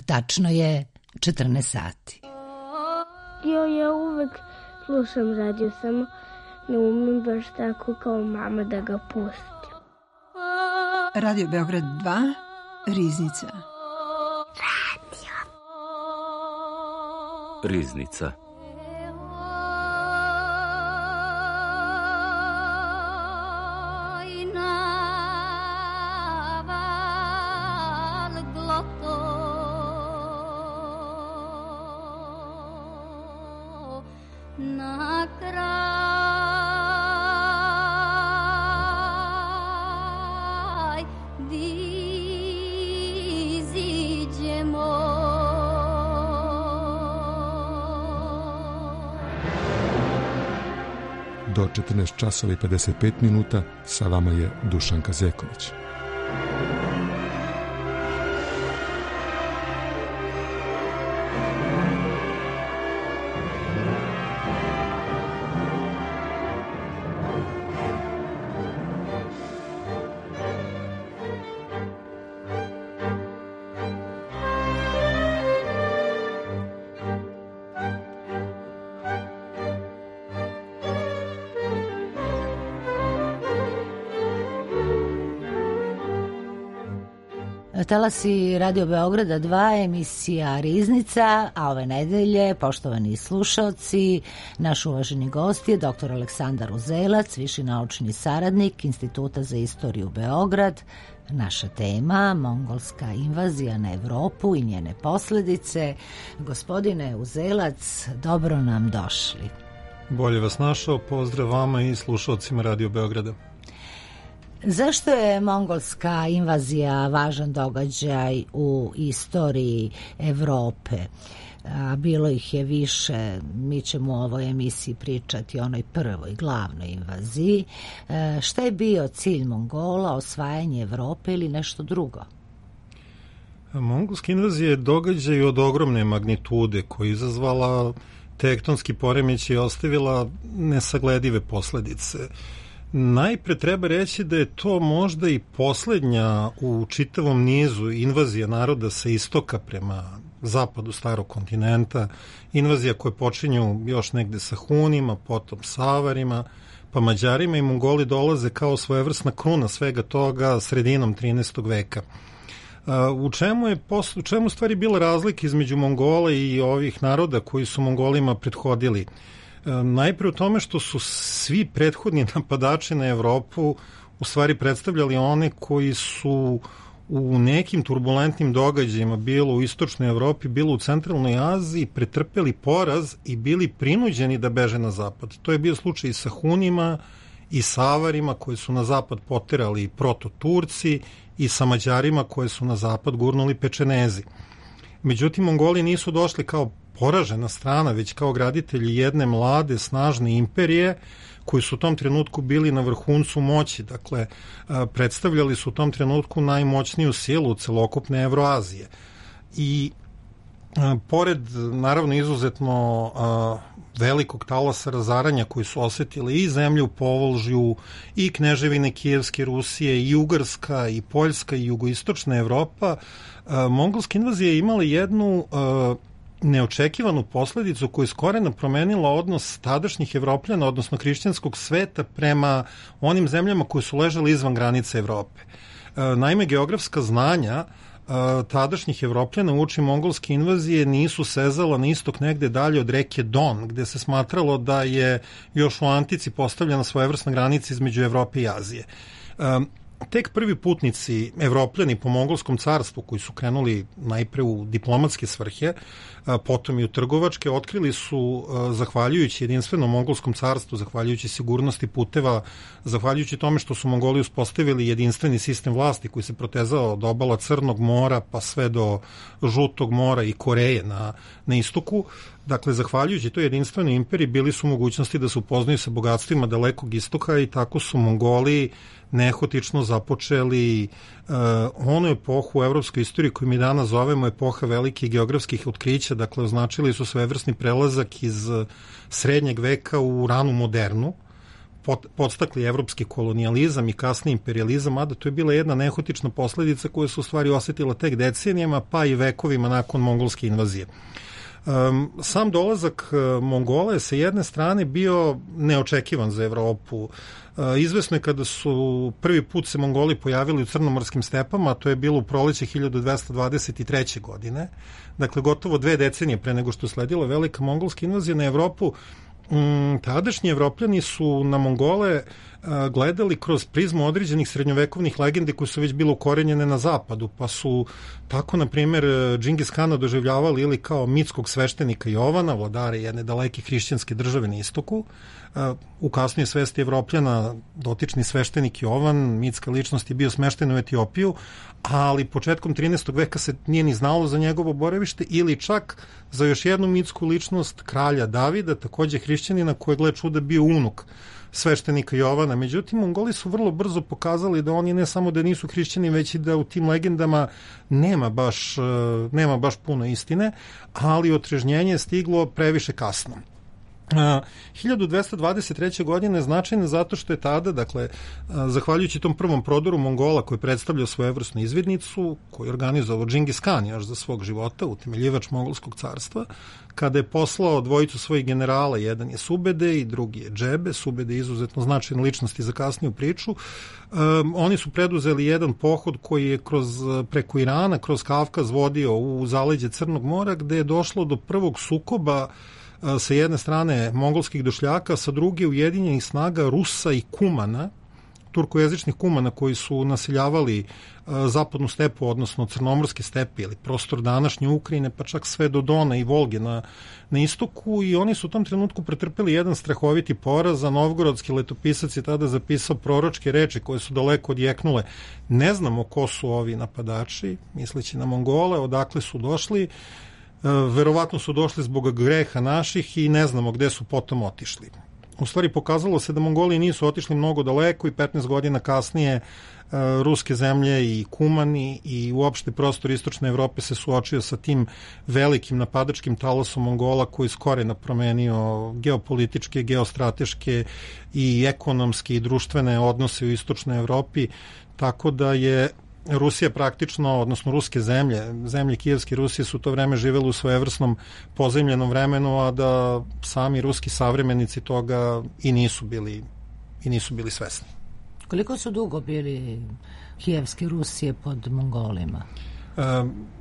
Tačno je 14 sati. Ja uvek slušam radio, samo ne umem baš tako kao mama da ga pustim. Radio Beograd 2, Riznica. Riznica. Do 14 časova i 55 minuta sa vama je Dušanka Zeković. Talasi Radio Beograda 2, emisija Riznica, a ove nedelje, poštovani slušaoci, naš uvaženi gost je dr. Aleksandar Uzelac, viši naučni saradnik Instituta za istoriju Beograd. Naša tema, mongolska invazija na Evropu i njene posledice. Gospodine Uzelac, dobro nam došli. Bolje vas našao, pozdrav vama i slušalcima Radio Beograda. Zašto je mongolska invazija važan događaj u istoriji Evrope? Bilo ih je više, mi ćemo u ovoj emisiji pričati o onoj prvoj glavnoj invaziji. Šta je bio cilj Mongola, osvajanje Evrope ili nešto drugo? Mongolska invazija je događaj od ogromne magnitude koja je izazvala tektonski poremećaj i ostavila nesagledive posledice. Najpre treba reći da je to možda i poslednja u čitavom nizu invazija naroda sa istoka prema zapadu starog kontinenta, invazija koje počinju još negde sa Hunima, potom Savarima, pa Mađarima i Mongoli dolaze kao svojevrsna kruna svega toga sredinom 13. veka. U čemu stvari bila razlika između Mongola i ovih naroda koji su Mongolima prethodili? Najpre u tome što su svi prethodni napadači na Evropu u stvari predstavljali one koji su u nekim turbulentnim događajima, bilo u istočnoj Evropi, bilo u centralnoj Aziji, pretrpeli poraz i bili prinuđeni da beže na zapad. To je bio slučaj i sa Hunima i Savarima koji su na zapad poterali proto-Turci i sa Mađarima koje su na zapad gurnuli Pečenezi. Međutim, Mongoli nisu došli kao poražena strana, već kao graditelji jedne mlade, snažne imperije koji su u tom trenutku bili na vrhuncu moći. Dakle, predstavljali su u tom trenutku najmoćniju silu celokupne Evroazije. I pored, naravno, izuzetno velikog talasa razaranja koji su osetili i zemlju u Povolžju, i kneževine Kijevske Rusije, i Ugarska, i Poljska, i jugoistočna Evropa, mongolska invazija je imala jednu neočekivanu posledicu koja je skoreno promenila odnos tadašnjih Evropljana, odnosno hrišćanskog sveta, prema onim zemljama koje su ležale izvan granice Evrope. Naime, geografska znanja tadašnjih Evropljana uoči mongolske invazije nisu sezala na istok negde dalje od reke Don, gde se smatralo da je još u antici postavljena svojevrsna granica između Evrope i Azije. Tek prvi putnici Evropljani po mongolskom carstvu, koji su krenuli najpre u diplomatske svrhe, potom i u trgovačke, otkrili su, zahvaljujući jedinstvenom mongolskom carstvu, zahvaljujući sigurnosti puteva, zahvaljujući tome što su Mongoli uspostavili jedinstveni sistem vlasti koji se protezao od obala Crnog mora pa sve do Žutog mora i Koreje na istoku. Dakle, zahvaljujući toj jedinstvenoj imperiji bili su mogućnosti da se upoznaju sa bogatstvima dalekog istoka i tako su Mongoli nehotično započeli onu epohu u evropskoj istoriji koju mi danas zovemo epoha velikih geografskih otkrića. Dakle, označili su svevrsni prelazak iz srednjeg veka u ranu modernu, podstakli evropski kolonijalizam i kasni imperializam, mada to je bila jedna nehotična posledica koja se u stvari osetila tek decenijama, pa i vekovima nakon mongolske invazije. Sam dolazak Mongola je sa jedne strane bio neočekivan za Evropu. Izvesno je kada su prvi put se Mongoli pojavili u crnomorskim stepama, to je bilo u proleće 1223. godine, dakle gotovo 2 decenije pre nego što je sledila velika mongolska invazija na Evropu. Tadašnji Evropljani su na Mongole gledali kroz prizmu određenih srednjovekovnih legendi koje su već bile ukorenjene na zapadu, pa su tako, na primjer, Džingis Kana doživljavali ili kao mitskog sveštenika Jovana, vladare jedne daleke hrišćanske države na istoku. U kasnije svesti Evropljana dotični sveštenik Jovan, mitska ličnost, je bio smešten u Etiopiju, ali početkom 13. veka se nije ni znalo za njegovo boravište, ili čak za još jednu mitsku ličnost, kralja Davida, takođe hrišćanina, koji je, gle čuda, bio unuk sveštenika Jovana. Međutim, Mongoli su vrlo brzo pokazali da oni ne samo da nisu hrišćani, već i da u tim legendama nema baš puno istine, ali otrežnjenje je stiglo previše kasno. 1223. godine je značajna zato što je tada, dakle, zahvaljujući tom prvom prodoru Mongola koji predstavlja svojevrsnu izvidnicu, koju je organizovao Džingis Kan još za svog života, utemeljivač Mongolskog carstva, kada je poslao dvojicu svojih generala, jedan je Subede i drugi je Džebe. Subede je izuzetno značajna ličnost i za kasniju priču. Oni su preduzeli jedan pohod koji je preko Irana, kroz Kavkaz vodio u zaleđe Crnog mora, gde je došlo do prvog sukoba sa jedne strane mongolskih došljaka, sa druge ujedinjenih snaga Rusa i Kumana, turkojezičnih Kumana koji su naseljavali zapadnu stepu, odnosno crnomorske stepe ili prostor današnje Ukrajine, pa čak sve do Dona i Volge na istoku, i oni su u tom trenutku pretrpeli jedan strahoviti poraz. A novgorodski letopisac je tada zapisao proročke reči koje su daleko odjeknule: ne znamo ko su ovi napadači, misleći na Mongole, odakle su došli, verovatno su došli zbog greha naših i ne znamo gde su potom otišli. U stvari pokazalo se da Mongoli nisu otišli mnogo daleko i 15 godina kasnije ruske zemlje i Kumani i uopšte prostor istočne Evrope se suočio sa tim velikim napadačkim talasom Mongola koji s korena promenio geopolitičke, geostrateške i ekonomske i društvene odnose u istočnoj Evropi, tako da je Rusija praktično, odnosno ruske zemlje Kijevske Rusije su to vreme živjeli u svojevrsnom pozemljenom vremenu, a da sami ruski savremenici toga i nisu bili svesni. Koliko su dugo bili Kijevske Rusije pod Mongolima?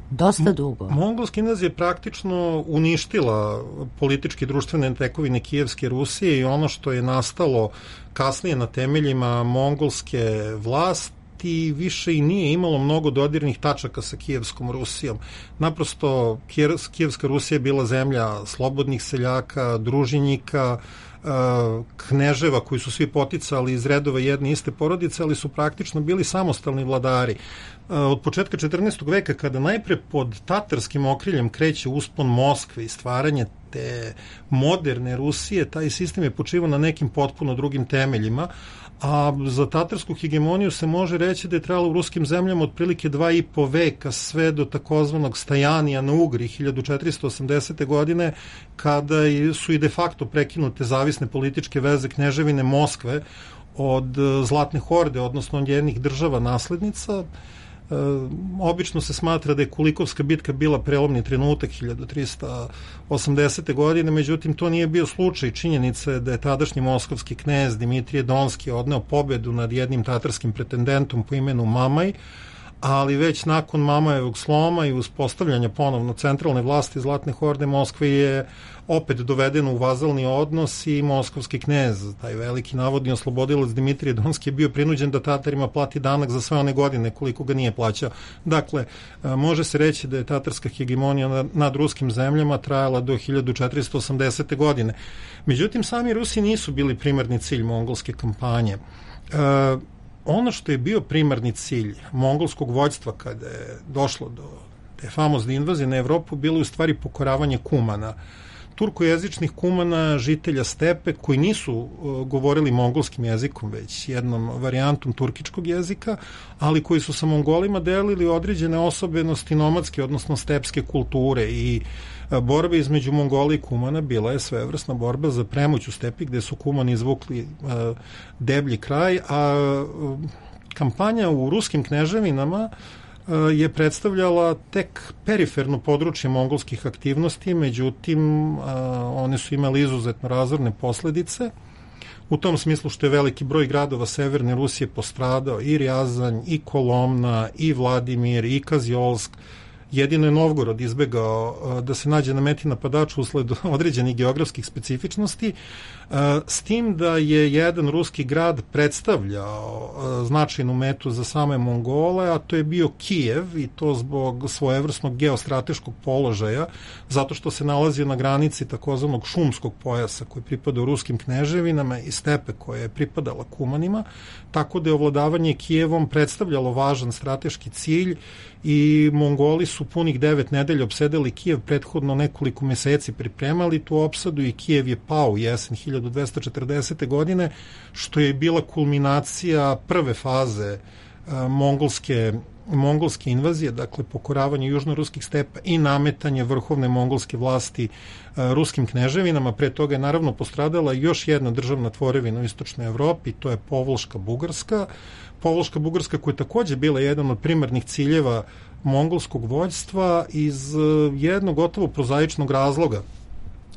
Dosta dugo. Mongolska invazija je praktično uništila političke i društvene tekovine Kijevske Rusije i ono što je nastalo kasnije na temeljima mongolske vlasti i više i nije imalo mnogo dodirnih tačaka sa Kijevskom Rusijom. Naprosto Kijevska Rusija je bila zemlja slobodnih seljaka, družinjika, kneževa koji su svi poticali iz redova jedne iste porodice, ali su praktično bili samostalni vladari. Od početka 14. veka, kada najpre pod tatarskim okriljem kreće uspon Moskve i stvaranje te moderne Rusije, taj sistem je počivao na nekim potpuno drugim temeljima, a za tatarsku hegemoniju se može reći da je trebalo u ruskim zemljama otprilike 2,5 veka, sve do takozvanog stajanija na Ugri 1480. godine, kada su i de facto prekinute zavisne političke veze kneževine Moskve od Zlatne horde, odnosno od njenih država naslednica. Obično se smatra da je Kulikovska bitka bila prelomni trenutak 1380. godine, međutim to nije bio slučaj. Činjenica je da je tadašnji moskovski knez Dimitrije Donski odneo pobedu nad jednim tatarskim pretendentom po imenu Mamaj, ali već nakon Mamajevog sloma i uspostavljanja ponovno centralne vlasti Zlatne horde, Moskva je opet dovedena u vazalni odnos i moskovski knez, taj veliki navodni oslobodilac Dimitrije Donski, je bio prinuđen da Tatarima plati danak za sve one godine koliko ga nije plaćao. Dakle, može se reći da je tatarska hegemonija nad ruskim zemljama trajala do 1480. godine. Međutim, sami Rusi nisu bili primarni cilj mongolske kampanje. Ono što je bio primarni cilj mongolskog vođstva kada je došlo do te famozne invazije na Evropu bilo je u stvari pokoravanje Kumana. turkojezičnih kumana, žitelja stepe, koji nisu govorili mongolskim jezikom, već jednom varijantom turkičkog jezika, ali koji su sa Mongolima delili određene osobenosti nomadske, odnosno stepske kulture, i borba između Mongola i kumana bila je svevrsna borba za premoć u stepi, gde su kumani izvukli deblji kraj, a kampanja u ruskim kneževinama je predstavljala tek periferno područje mongolskih aktivnosti, međutim one su imali izuzetno razorne posledice, u tom smislu što je veliki broj gradova severne Rusije postradao, i Rjazanj, i Kolomna, i Vladimir, i Kazjolsk. Jedino je Novgorod izbegao da se nađe na meti napadača usled određenih geografskih specifičnosti, s tim da je jedan ruski grad predstavljao značajnu metu za same Mongole, a to je bio Kijev, i to zbog svojevrsnog geostrateškog položaja, zato što se nalazio na granici takozvanog šumskog pojasa koji pripada u ruskim kneževinama i stepe koja je pripadala kumanima, tako da je ovladavanje Kijevom predstavljalo važan strateški cilj, i Mongoli su punih 9 nedelja opsedali Kijev, prethodno nekoliko meseci pripremali tu opsadu, i Kijev je pao u jesen 1240. godine, što je bila kulminacija prve faze mongolske invazije, dakle pokoravanje južnoruskih stepa i nametanje vrhovne mongolske vlasti ruskim kneževinama. Pre toga je naravno postradala još jedna državna tvorevina u istočnoj Evropi, to je Povолška Bugarska. Povолška Bugarska koja je takođe bila jedan od primarnih ciljeva mongolskog vođstva iz jednog gotovo prozaičnog razloga.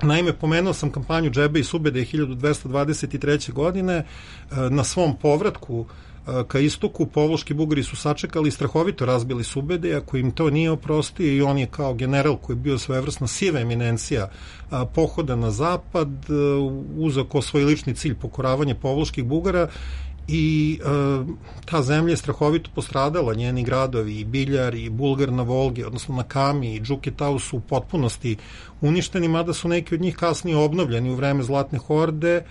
Naime, pomenuo sam kampanju Džebe i Subede 1223. godine. Na svom povratku ka istoku Povолški Bugari su sačekali i strahovito razbili Subede, ako im to nije oprostio, i on je kao general koji je bio svojevrsna siva eminencija pohoda na zapad uzeo kao svoj lični cilj pokoravanje Povолških Bugara, i ta zemlja je strahovito postradala, njeni gradovi i Biljar i Bulgar na Volgi, odnosno na Kami i Džuketau su u potpunosti uništeni, mada su neki od njih kasnije obnovljeni u vreme Zlatne horde,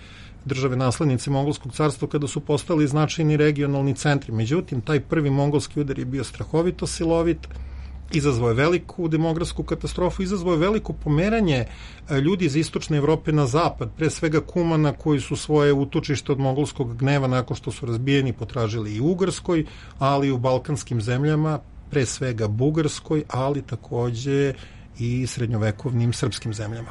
države naslednice Mongolskog carstva, kada su postali značajni regionalni centri. Međutim, taj prvi mongolski udar je bio strahovito silovit, izazvao je veliku demografsku katastrofu, izazvao je veliko pomeranje ljudi iz istočne Evrope na zapad, pre svega kumana koji su svoje utočište od mongolskog gneva nakon što su razbijeni potražili i u Ugarskoj, ali i u balkanskim zemljama, pre svega Bugarskoj, ali takođe i srednjovekovnim srpskim zemljama.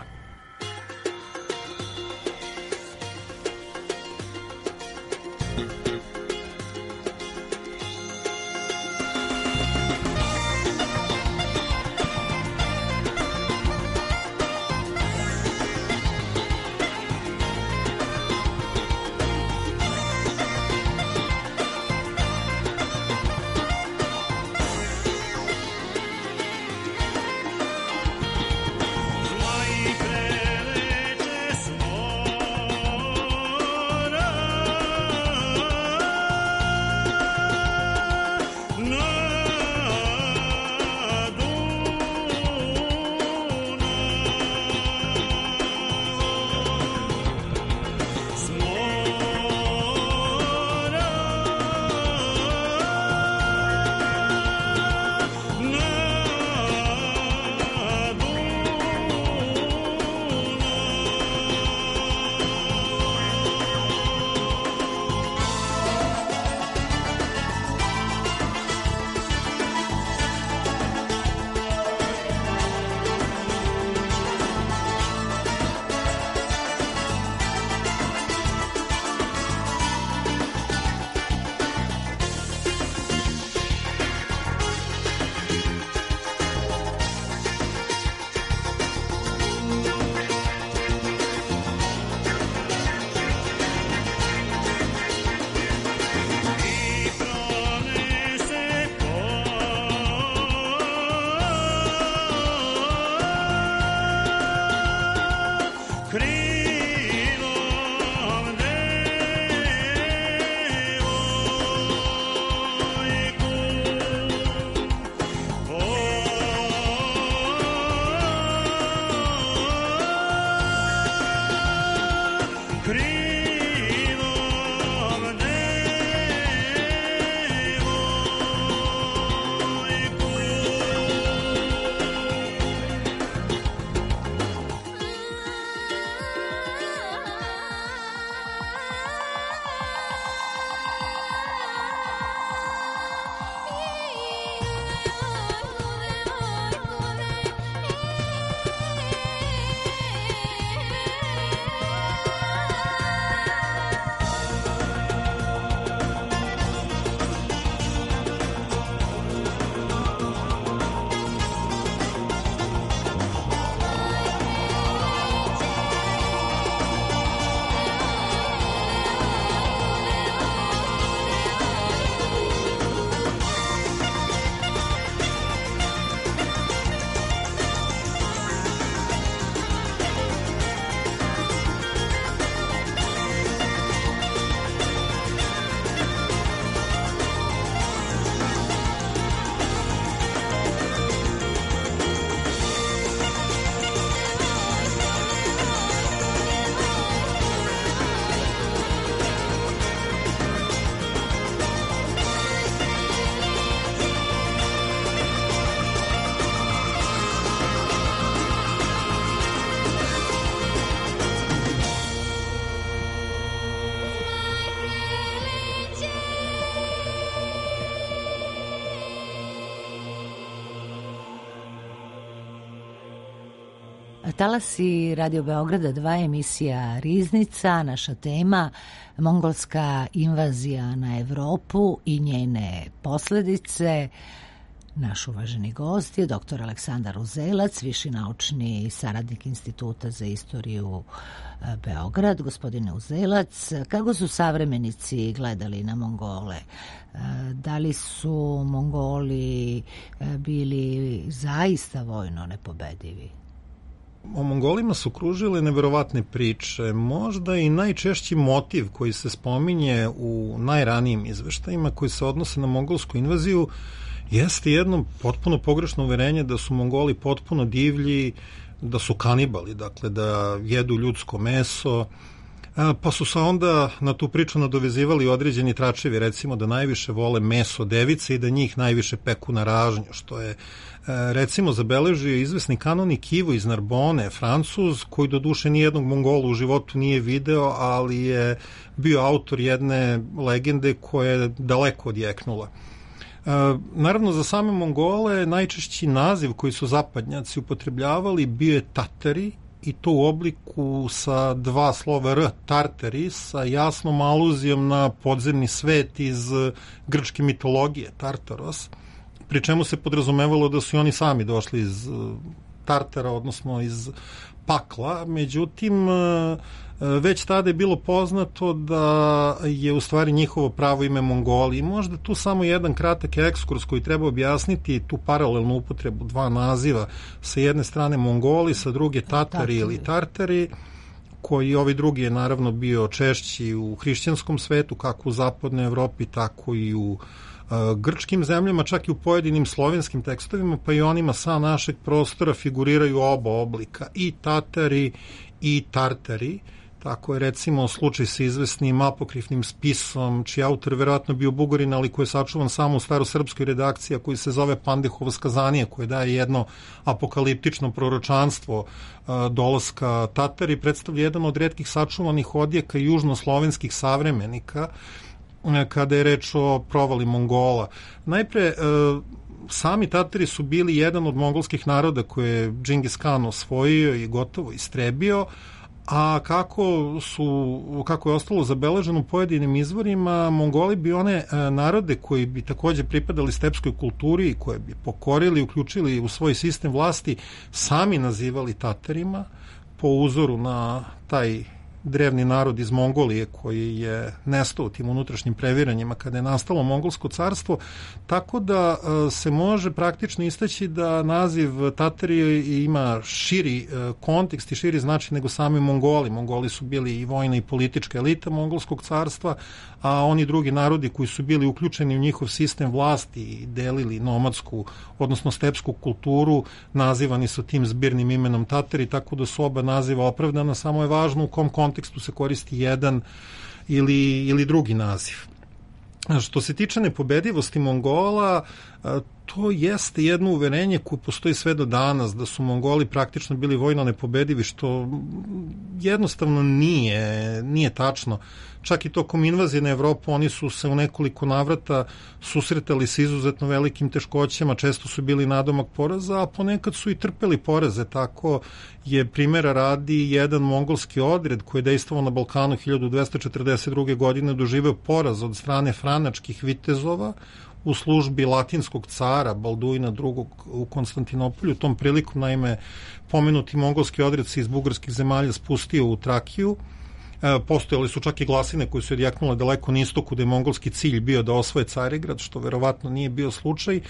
Zla i Talasi Radio Beograda 2, emisija Riznica, naša tema mongolska invazija na Evropu i njene posledice. Naš uvaženi gost je dr. Aleksandar Uzelac, viši naučni saradnik Instituta za istoriju Beograd. Gospodine Uzelac, kako su savremenici gledali na Mongole? Da li su Mongoli bili zaista vojno nepobedivi? O Mongolima su kružile neverovatne priče. Možda i najčešći motiv koji se spominje u najranijim izveštajima koji se odnose na mongolsku invaziju jeste jedno potpuno pogrešno uverenje da su Mongoli potpuno divlji, da su kanibali, dakle da jedu ljudsko meso, pa su se onda na tu priču nadovezivali određeni tračevi, recimo da najviše vole meso device i da njih najviše peku na ražnju, što je recimo zabeležio izvesni kanonik Ivo iz Narbone, Francuz, koji do duše nijednog Mongola u životu nije video, ali je bio autor jedne legende koja je daleko odjeknula. Naravno, za same Mongole najčešći naziv koji su zapadnjaci upotrebljavali bio je Tatari, i to u obliku sa dva slova R, Tartari, sa jasnom aluzijom na podzemni svet iz grčke mitologije, Tartaros, pri čemu se podrazumevalo da su i oni sami došli iz Tartara, odnosno iz pakla. Međutim, već tada je bilo poznato da je u stvari njihovo pravo ime Mongoli. I možda tu samo jedan kratak ekskurs koji treba objasniti tu paralelnu upotrebu dva naziva. Sa jedne strane Mongoli, sa druge Tatari ili Tartari, koji ovaj drugi je naravno bio češći u hrišćanskom svetu, kako u zapadnoj Evropi, tako i u grčkim zemljama, čak i u pojedinim slovenskim tekstovima, pa i onima sa našeg prostora figuriraju oba oblika, i Tatari i Tartari. Tako je recimo slučaj sa izvesnim apokrifnim spisom, čiji autor verovatno bio Bugarin, ali koji je sačuvan samo u starosrpskoj redakciji, a koji se zove Pandehovo skazanije, koje daje jedno apokaliptično proročanstvo dolaska Tatari, predstavlja jedan od retkih sačuvanih odjeka južnoslovenskih savremenika kada je reč o provali Mongola. Najpre, sami Tatari su bili jedan od mongolskih naroda koje je Džingis Khan osvojio i gotovo istrebio, a kako je ostalo zabeleženo u pojedinim izvorima, Mongoli bi one narode koji bi takođe pripadali stepskoj kulturi i koje bi pokorili, uključili u svoj sistem vlasti, sami nazivali Tatarima, po uzoru na taj drevni narod iz Mongolije koji je nestao u tim unutrašnjim previranjima kada je nastalo Mongolsko carstvo, tako da se može praktično istaći da naziv Tatari ima širi kontekst i širi značaj nego sami Mongoli. Mongoli su bili i vojna i politička elita Mongolskog carstva, a oni drugi narodi koji su bili uključeni u njihov sistem vlasti i delili nomadsku, odnosno stepsku kulturu, nazivani su tim zbirnim imenom Tatari, tako da su oba naziva opravdana, samo je važno u kom kontekstu se koristi jedan ili drugi naziv. Što se tiče nepobedivosti Mongola, to jeste jedno uverenje koje postoji sve do danas, da su Mongoli praktično bili vojno nepobedivi, što jednostavno nije tačno. Čak i tokom invazije na Evropu oni su se u nekoliko navrata susretali sa izuzetno velikim teškoćama, često su bili nadomak poraza, a ponekad su i trpeli poraze. Tako je primjera radi jedan mongolski odred koji je dejstvovao na Balkanu 1242. godine doživeo poraz od strane franačkih vitezova u službi latinskog cara Balduina II. U Konstantinopolju. Tom prilikom, naime, pomenuti mongolski odred se iz bugarskih zemalja spustio u Trakiju. Postojali su čak i glasine koje su odjeknule daleko na istoku da je mongolski cilj bio da osvoje Carigrad, što verovatno nije bio slučaj,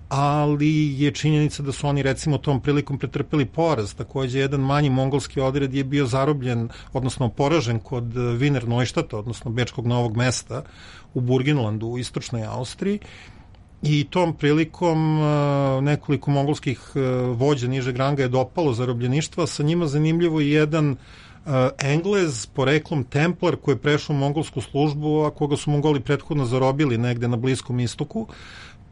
ali je činjenica da su oni recimo tom prilikom pretrpeli poraz. Takođe, jedan manji mongolski odred je bio zarobljen, odnosno poražen kod Wiener Neuštata, odnosno Bečkog Novog Mesta u Burgenlandu u istočnoj Austriji, i tom prilikom nekoliko mongolskih vođa nižeg ranga je dopalo zarobljeništva. Sa njima zanimljivo je jedan Englez, poreklom Templar, koji je prešao u mongolsku službu, a koga su Mongoli prethodno zarobili negde na Bliskom istoku,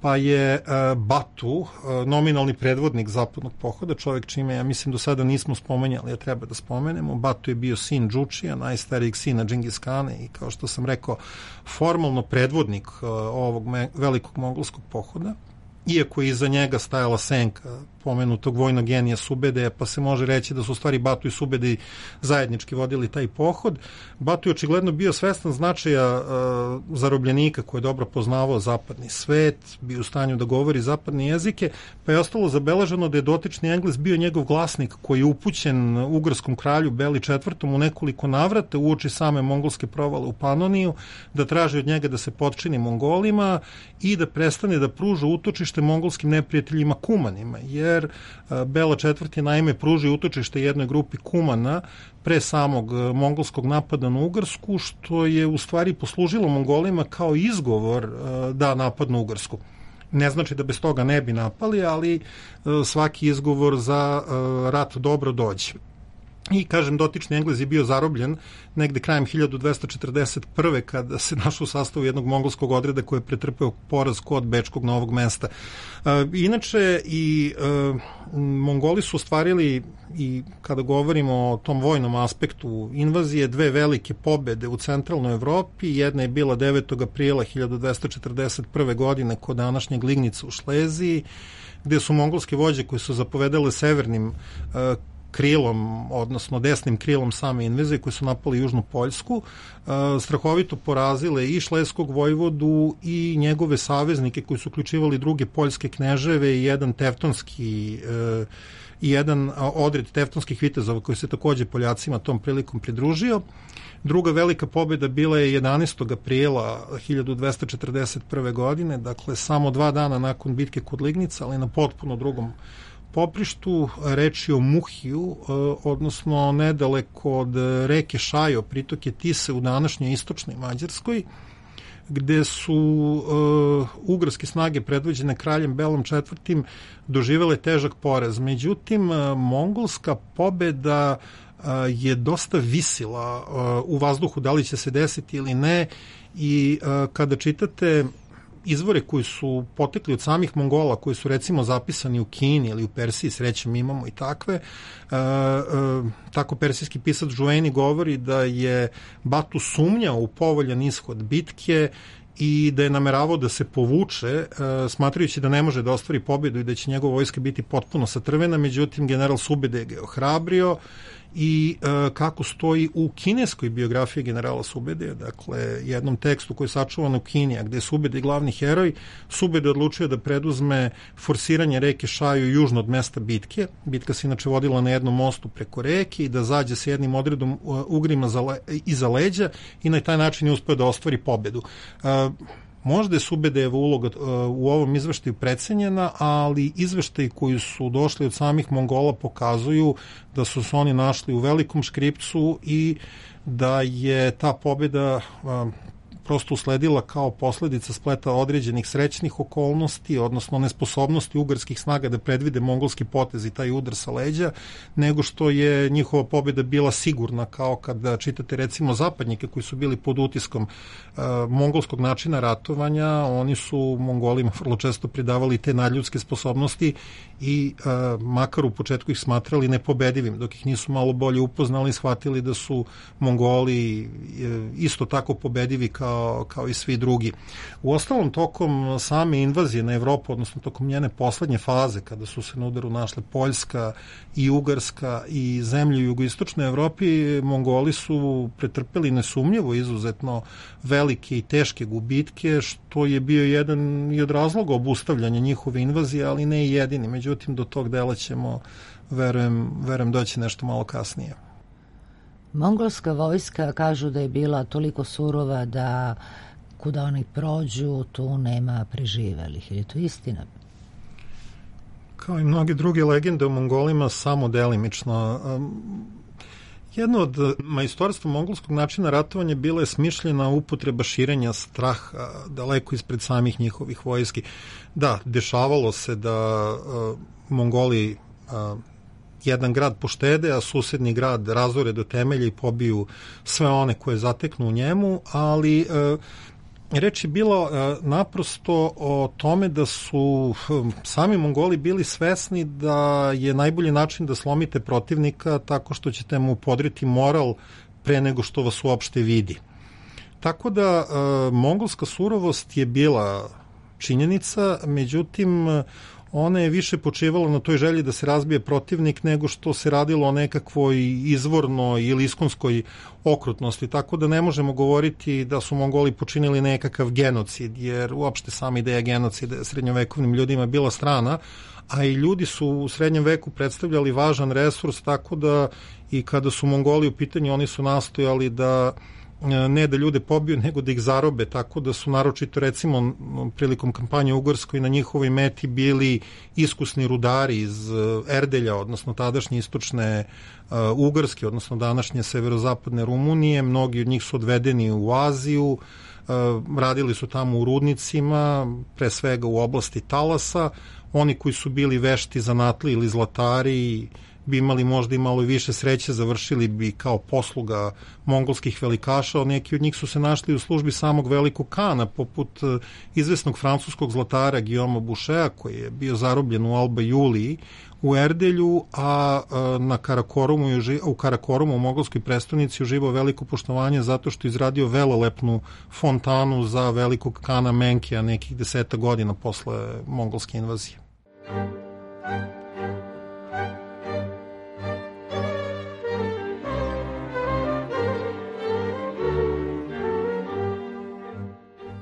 pa je Batu, nominalni predvodnik zapadnog pohoda, čovjek čime, ja mislim, do sada nismo spomenjali, a treba da spomenemo. Batu je bio sin Džučija, najstarijeg sina Džingis Kana i, kao što sam rekao, formalno predvodnik ovog velikog mongolskog pohoda. iako je iza njega stajala senka pomenutog vojnog genija Subedeja, pa se može reći da su u stvari Batu i Subedej zajednički vodili taj pohod. Batu je očigledno bio svestan značaja zarobljenika koji je dobro poznavao zapadni svet, bio u stanju da govori zapadne jezike, pa je ostalo zabeleženo da je dotični Engles bio njegov glasnik koji je upućen ugarskom kralju Beli IV u nekoliko navrata uoči same mongolske provale u Panoniju, da traži od njega da se potčini Mongolima i da prestane da pruža utočište mongolskim neprijateljima Kumanima, jer Bela IV naime pruži utočište jednoj grupi Kumana pre samog mongolskog napada na Ugarsku, što je u stvari poslužilo Mongolima kao izgovor da napadnu Ugarsku. Ne znači da bez toga ne bi napali, ali svaki izgovor za rat dobro dođe. I, kažem, dotični Englez je bio zarobljen negde krajem 1241. kada se našao u sastavu jednog mongolskog odreda koji je pretrpeo poraz kod Bečkog Novog Mesta. Inače, i Mongoli su ostvarili, i kada govorimo o tom vojnom aspektu invazije, dve velike pobede u centralnoj Evropi. Jedna je bila 9. aprila 1241. godine kod današnjeg Lignica u Šleziji, gde su mongolske vođe koje su zapovedale severnim krilom, odnosno desnim krilom same invazije, koji su napali Južnu Poljsku, strahovito porazile i Šleskog vojvodu i njegove saveznike koji su uključivali druge poljske kneževe i jedan tevtonski i jedan odred tevtonskih vitezova koji se takođe Poljacima tom prilikom pridružio. Druga velika pobjeda bila je 11. aprila 1241. godine, dakle samo 2 dana nakon bitke kod Lignica, ali na potpuno drugom poprištu. Reč je o Muhiju, odnosno nedaleko od reke Šajo, pritoke Tise u današnjoj istočnoj Mađarskoj, gde su ugarske snage predvođene kraljem Belom IV doživele težak poraz. Međutim, mongolska pobeda je dosta visila u vazduhu, da li će se desiti ili ne, i kada čitate izvore koji su potekli od samih Mongola, koji su recimo zapisani u Kini ili u Persiji, srećem imamo i takve, tako persijski pisac Žueni govori da je Batu sumnjao u povoljan ishod bitke i da je nameravao da se povuče, smatrajući da ne može da ostvari pobjedu i da će njegova vojska biti potpuno satrvena. Međutim, general Subedej ga je ohrabrio i kako stoji u kineskoj biografiji generala Subedeja, dakle jednom tekstu koji je sačuvan u Kini, a gde je Subedej glavni heroj, Subedej odlučio da preduzme forsiranje reke Šaju južno od mesta bitke. Bitka se inače vodila na jednom mostu preko reke i da zađe sa jednim odredom Ugrima iza leđa i na taj način je uspeo da ostvari pobedu. Možda je Subedejeva uloga u ovom izveštaju precenjena, ali izveštaji koji su došli od samih Mongola pokazuju da su se oni našli u velikom škripcu i da je ta pobeda prosto usledila kao posledica spleta određenih srećnih okolnosti, odnosno nesposobnosti ugarskih snaga da predvide mongolski potez i taj udar sa leđa, nego što je njihova pobjeda bila sigurna, kao kada čitate recimo zapadnike koji su bili pod utiskom mongolskog načina ratovanja. Oni su Mongolima vrlo često pridavali te nadljudske sposobnosti i makar u početku ih smatrali nepobedivim, dok ih nisu malo bolje upoznali, shvatili da su Mongoli isto tako pobedivi kao i svi drugi. U ostalom, tokom same invazije na Evropu, odnosno tokom njene poslednje faze, kada su se na udaru našle Poljska i Ugarska i zemlje u jugoistočnoj Evropi, Mongoli su pretrpeli nesumnjivo izuzetno velike i teške gubitke, što je bio jedan i od razloga obustavljanja njihove invazije, ali ne i jedini. Međutim, do tog dela ćemo, verujem, doći nešto malo kasnije. Mongolska vojska kažu da je bila toliko surova da kuda oni prođu, tu nema preživelih. Je to istina? Kao i mnoge druge legende o Mongolima, samo delimično. Jedno od majstorstva mongolskog načina ratovanja bila je smišljena upotreba širenja straha daleko ispred samih njihovih vojski. Da, dešavalo se da Mongoli jedan grad poštede, a susedni grad razore do temelja i pobiju sve one koje zateknu u njemu, ali reč je bilo naprosto o tome da su sami Mongoli bili svesni da je najbolji način da slomite protivnika tako što ćete mu podriti moral pre nego što vas uopšte vidi. Tako da mongolska surovost je bila činjenica, međutim ona je više počivala na toj želji da se razbije protivnik nego što se radilo o nekakvoj izvornoj ili iskonskoj okrutnosti, tako da ne možemo govoriti da su Mongoli počinili nekakav genocid, jer uopšte sama ideja genocida srednjovekovnim ljudima bila strana, a i ljudi su u srednjem veku predstavljali važan resurs, tako da i kada su Mongoli u pitanju, oni su nastojali da ne da ljude pobiju, nego da ih zarobe, tako da su naročito recimo prilikom kampanje u Ugarskoj na njihovoj meti bili iskusni rudari iz Erdelja, odnosno tadašnje istočne Ugarske, odnosno današnje severozapadne Rumunije. Mnogi od njih su odvedeni u Aziju, radili su tamo u rudnicima, pre svega u oblasti talasa. Oni koji su bili vešti zanatli ili zlatari bi imali možda i malo više sreće, završili bi kao posluga mongolskih velikaša, neki od njih su se našli u službi samog velikog kana, poput izvesnog francuskog zlatara Guillauma Bouchera, koji je bio zarobljen u Alba Juliji u Erdelju, a u Karakorumu u mongolskoj prestonici uživao veliko poštovanje zato što je izradio velelepnu fontanu za velikog kana Menkija nekih 10 godina posle mongolske invazije.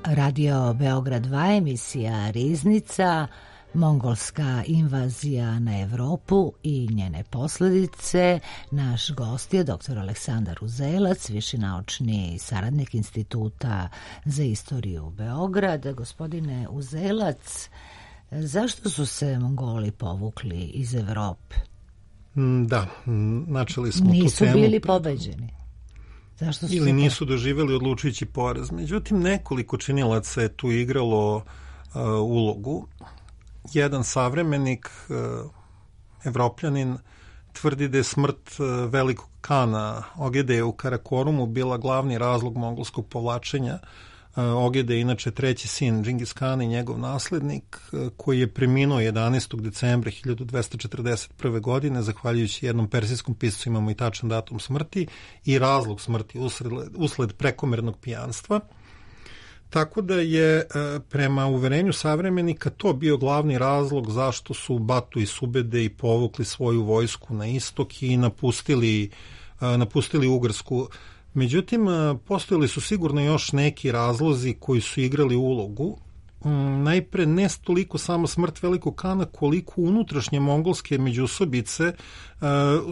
Radio Beograd 2, emisija Riznica, mongolska invazija na Evropu i njene posledice. Naš gost je dr. Aleksandar Uzelac, viši naučni saradnik Instituta za istoriju Beograd. Gospodine Uzelac, zašto su se Mongoli povukli iz Evrope? Da, načeli smo tu temu. Nisu bili pobeđeni. Ili nisu doživjeli odlučujući poraz. Međutim, nekoliko činilaca je tu igralo ulogu. Jedan savremenik, Evropljanin, tvrdi da je smrt velikog kana Ogede u Karakorumu bila glavni razlog mongolskog povlačenja. Ogede je inače treći sin Džingis Kana i njegov naslednik, koji je preminuo 11. decembra 1241. godine, zahvaljujući jednom persijskom piscu, imamo i tačan datum smrti i razlog smrti usled prekomernog pijanstva. Tako da je prema uverenju savremenika to bio glavni razlog zašto su Batu i Subede i povukli svoju vojsku na istok i napustili Ugarsku. Međutim, postojali su sigurno još neki razlozi koji su igrali ulogu. Najpre ne toliko samo smrt velikog kana, koliko unutrašnje mongolske međusobice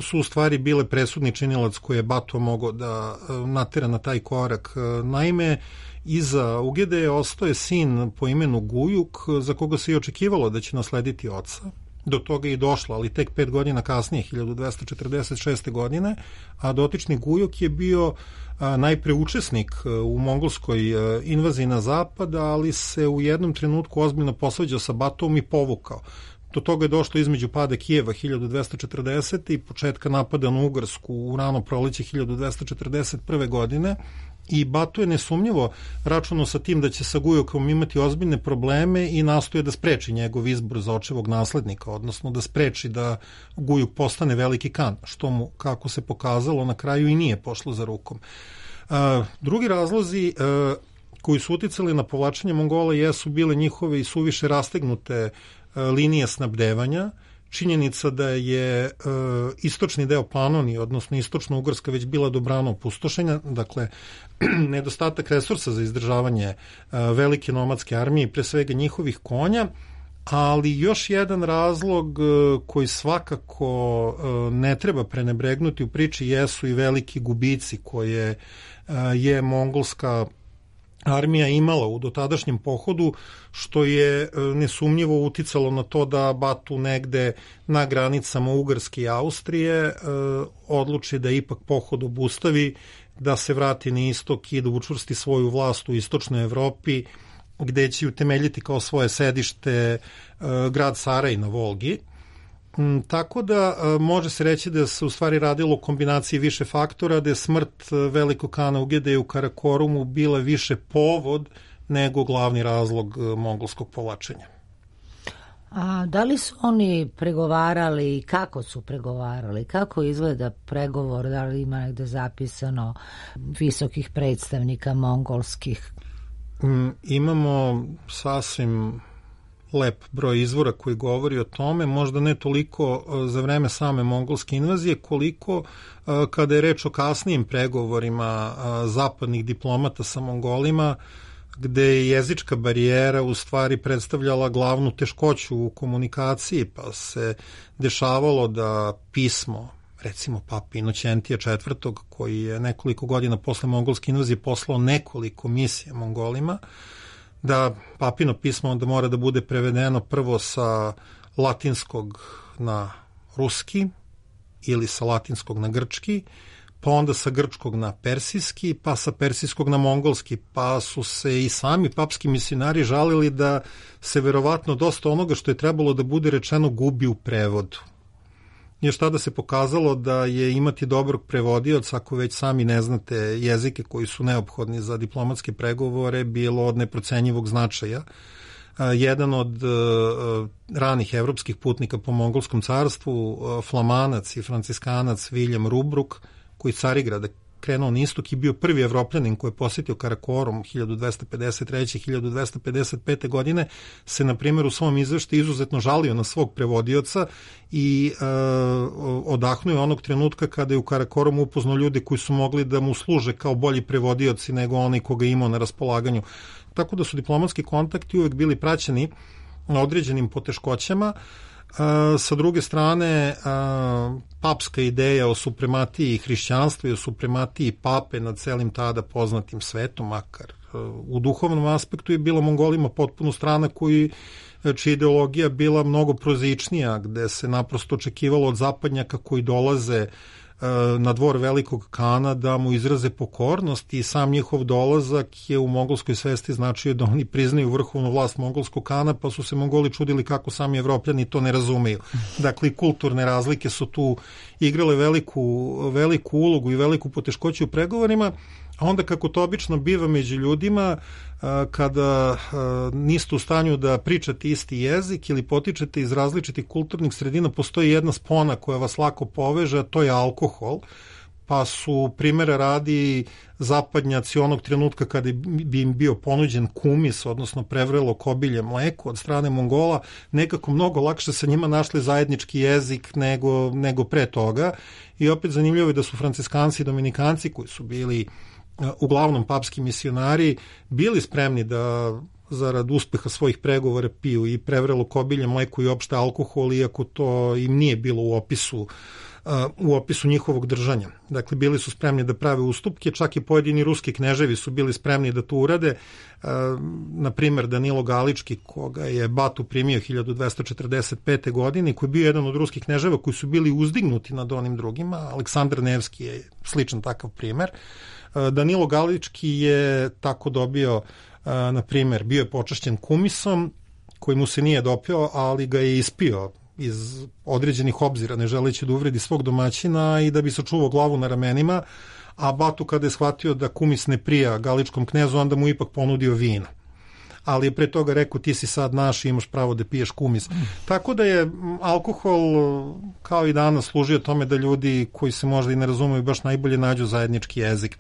su u stvari bile presudni činilac koje je Batu mogao da natera na taj korak. Naime, iza Ugede ostao sin po imenu Gujuk, za koga se i očekivalo da će naslediti oca. Do toga je i došlo, ali tek 5 godina kasnije, 1246. godine, a dotični Gujuk je bio najpre učesnik u mongolskoj invaziji na zapad, ali se u jednom trenutku ozbiljno posvađao sa Batom i povukao. Do toga je došlo između pada Kijeva 1240. i početka napada na Ugarsku u rano proleće 1241. godine, i Batu je nesumnjivo računao sa tim da će sa Gujukom imati ozbiljne probleme i nastoje da spreči njegov izbor za očevog naslednika, odnosno da spreči da Gujuk postane veliki kan, što mu, kako se pokazalo, na kraju i nije pošlo za rukom. Drugi razlozi koji su uticali na povlačenje Mongola jesu bile njihove i suviše rastegnute linije snabdevanja, činjenica da je istočni deo Panonije, odnosno istočna Ugarska, već bila dobrano opustošenja, dakle nedostatak resursa za izdržavanje velike nomadske armije i pre svega njihovih konja, ali još jedan razlog koji svakako ne treba prenebregnuti u priči jesu i veliki gubici koje je mongolska armija imala u dotadašnjem pohodu, što je nesumnjivo uticalo na to da Batu negde na granicama Ugarske i Austrije odluči da ipak pohod obustavi, da se vrati na istok i da učvrsti svoju vlast u istočnoj Evropi, gde će utemeljiti kao svoje sedište grad Saraj na Volgi. Tako da može se reći da se u stvari radilo o kombinaciji više faktora, da je smrt velikog kana Ugede u Karakorumu bila više povod nego glavni razlog mongolskog povlačenja. A da li su oni pregovarali i kako su pregovarali? Kako izgleda pregovor? Da li ima negde zapisano visokih predstavnika mongolskih? Imamo sasvim lep broj izvora koji govori o tome, možda ne toliko za vreme same mongolske invazije, koliko kada je reč o kasnijim pregovorima zapadnih diplomata sa Mongolima, gde je jezička barijera u stvari predstavljala glavnu teškoću u komunikaciji, pa se dešavalo da pismo, recimo Pape Inoćentija IV, koji je nekoliko godina posle mongolske invazije poslao nekoliko misija Mongolima, da papino pismo onda mora da bude prevedeno prvo sa latinskog na ruski ili sa latinskog na grčki, pa onda sa grčkog na persijski, pa sa persijskog na mongolski, pa su se i sami papski misionari žalili da se verovatno dosta onoga što je trebalo da bude rečeno gubi u prevodu. Još tada se pokazalo da je imati dobrog prevodioca, ako već sami ne znate jezike koji su neophodni za diplomatske pregovore, bilo od neprocenjivog značaja. Jedan od ranih evropskih putnika po mongolskom carstvu, flamanac i franciskanac William Rubruk, koji iz Carigrada krenuo na istok i bio prvi Evropljanin koji je posjetio Karakorum 1253. 1255. godine, se na primjer u svom izveštaju izuzetno žalio na svog prevodioca i odahnuo onog trenutka kada je u Karakorumu upoznao ljude koji su mogli da mu služe kao bolji prevodioci nego onaj koga imao na raspolaganju. Tako da su diplomatski kontakti uvek bili praćeni određenim poteškoćama. Sa druge strane, papska ideja o suprematiji hrišćanstva i o suprematiji pape nad celim tada poznatim svetom, makar u duhovnom aspektu, je bila Mongolima potpuno strana čija ideologija bila mnogo prozaičnija, gde se naprosto očekivalo od zapadnjaka koji dolaze na dvor velikog kana da mu izraze pokornost, i sam njihov dolazak je u mongolskoj svesti značio da oni priznaju vrhovnu vlast mongolskog kana, pa su se Mongoli čudili kako sami Evropljani to ne razumeju. Dakle, kulturne razlike su tu igrale veliku ulogu i veliku poteškoću u pregovorima, a onda, kako to obično biva među ljudima, kada niste u stanju da pričate isti jezik ili potičete iz različitih kulturnih sredina, postoji jedna spona koja vas lako poveže, a to je alkohol, pa su, primjera radi, zapadnjaci onog trenutka kada bi im bio ponuđen kumis, odnosno prevrelo kobilje mleko od strane Mongola, nekako mnogo lakše sa njima našli zajednički jezik nego pre toga. I opet zanimljivo je da su franciskanci i dominikanci, koji su bili uglavnom papski misionari, bili spremni da zarad uspeha svojih pregovora piju i prevrelo kobilje mleko i opšte alkohol, iako to im nije bilo u opisu njihovog držanja. Dakle, bili su spremni da prave ustupke, čak i pojedini ruski kneževi su bili spremni da to urade. Na primjer, Danilo Galički, koga je Batu primio 1245. godine, koji je bio jedan od ruskih kneževa koji su bili uzdignuti nad onim drugima. Aleksandar Nevski je sličan takav primer. Danilo Galički je tako dobio, na primjer, bio je počašćen kumisom koji mu se nije dopio, ali ga je ispio iz određenih obzira, ne želeći da uvredi svog domaćina i da bi sačuvao glavu na ramenima, a Batu, kada je shvatio da kumis ne prija Galičkom knezu, onda mu ipak ponudio vino. Ali je pre toga rekao, ti si sad naš i imaš pravo da piješ kumis. Tako da je alkohol, kao i danas, služio tome da ljudi koji se možda i ne razumeju baš najbolje nađu zajednički jezik.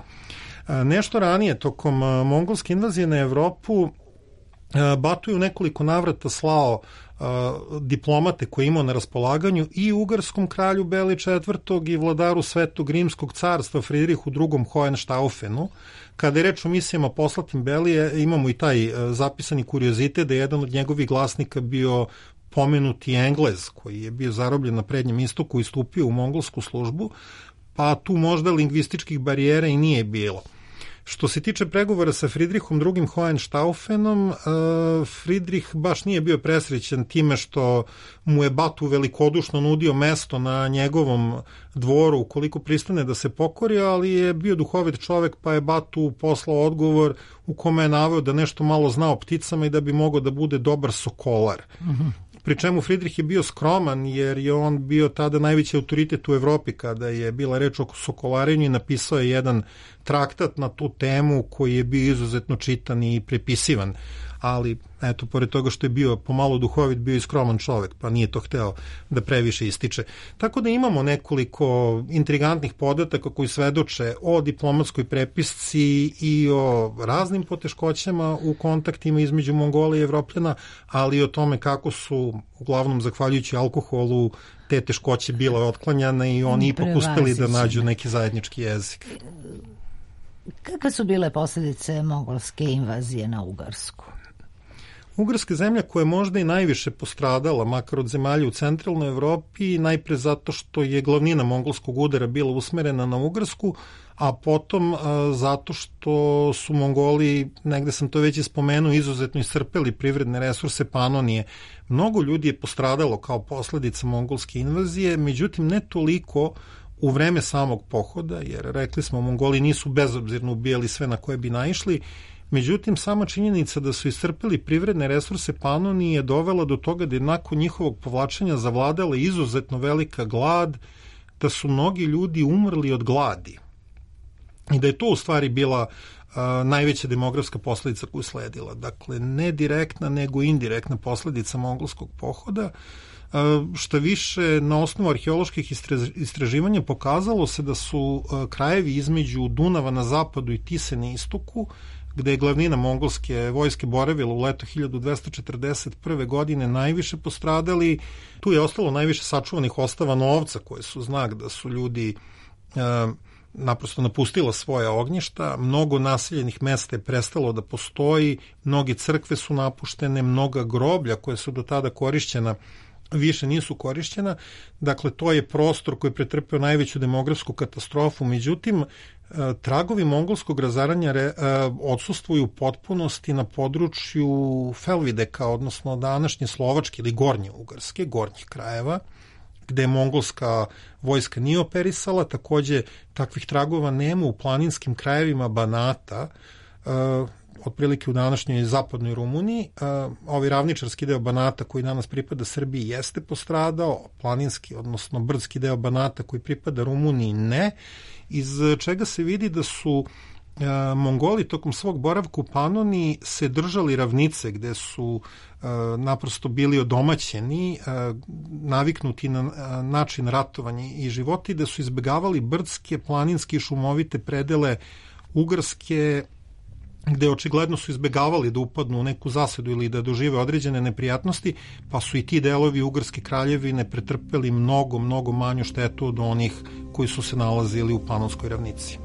Nešto ranije, tokom mongolske invazije na Evropu, Batu je u nekoliko navrata slao diplomate koje imao na raspolaganju i ugarskom kralju Beli IV. I vladaru Svetog Rimskog carstva Fridrihu II. Hohenstaufenu. Kada je reč o misijama poslatim Belije, imamo i taj zapisani kuriozitet da je jedan od njegovih glasnika bio pomenuti Englez, koji je bio zarobljen na Prednjem istoku i stupio u mongolsku službu, pa tu možda lingvističkih barijera i nije bilo. Što se tiče pregovora sa Fridrihom II. Hohenstaufenom, Fridrih baš nije bio presrećen time što mu je Batu velikodušno nudio mesto na njegovom dvoru ukoliko pristane da se pokori, ali je bio duhovit čovek, pa je Batu poslao odgovor u kome je naveo da nešto malo zna o pticama i da bi mogao da bude dobar sokolar. Pri čemu Fridrih je bio skroman, jer je on bio tada najveći autoritet u Evropi kada je bila reč o sokolarenju, i napisao je jedan traktat na tu temu koji je bio izuzetno čitan i prepisivan. ali eto, pored toga što je bio pomalo duhovit, bio i skroman čovek, pa nije to hteo da previše ističe. Tako da imamo nekoliko intrigantnih podataka koji svedoče o diplomatskoj prepisci i o raznim poteškoćama u kontaktima između Mongola i Evropljana, ali i o tome kako su, uglavnom zahvaljujući alkoholu, te teškoće bile otklanjane i oni ipak uspeli da nađu neki zajednički jezik. Kakve su bile posljedice mongolske invazije na Ugarsku? Ugarska zemlja koja je možda i najviše postradala, makar od zemalja u centralnoj Evropi, najpre zato što je glavnina mongolskog udara bila usmerena na Ugarsku, a potom zato što su Mongoli, negde sam to već ispomenuo, izuzetno iscrpeli privredne resurse Panonije. Mnogo ljudi je postradalo kao posledica mongolske invazije, međutim ne toliko u vreme samog pohoda, jer rekli smo, Mongoli nisu bezobzirno ubijali sve na koje bi naišli. Međutim, sama činjenica da su iscrpili privredne resurse Panonije dovela do toga da je nakon njihovog povlačenja zavladala izuzetno velika glad, da su mnogi ljudi umrli od gladi. I da je to u stvari bila najveća demografska posledica koju sledila. Dakle, ne direktna, nego indirektna posledica mongolskog pohoda. Šta više, na osnovu arheoloških istraživanja pokazalo se da su krajevi između Dunava na zapadu i Tise na istoku, gde je glavnina mongolske vojske boravila u leto 1241. godine, najviše postradali. Tu je ostalo najviše sačuvanih ostava novca, koje su znak da su ljudi naprosto napustila svoja ognjišta, mnogo naseljenih mesta je prestalo da postoji, mnoge crkve su napuštene, mnoga groblja koje su do tada korišćena više nisu korišćena. Dakle, to je prostor koji je pretrpeo najveću demografsku katastrofu. Međutim, tragovi mongolskog razaranja odsustvuju u potpunosti na području Felvideka, odnosno današnje Slovačke ili Gornje Ugarske, gornjih krajeva, gde mongolska vojska nije operisala. Takođe, takvih tragova nema u planinskim krajevima Banata, otprilike u današnjoj zapadnoj Rumuniji. Ovaj ravničarski deo Banata koji danas pripada Srbiji jeste postradao, planinski, odnosno brdski deo Banata koji pripada Rumuniji ne, iz čega se vidi da su Mongoli tokom svog boravka u Panoniji se držali ravnice gde su naprosto bili odomaćeni, naviknuti na način ratovanja i života i da su izbegavali brdske, planinske i šumovite predele Ugarske, gde očigledno su izbegavali da upadnu u neku zasedu ili da dožive određene neprijatnosti, pa su i ti delovi Ugarske kraljevine pretrpeli mnogo manju štetu od onih koji su se nalazili u Panonskoj ravnici.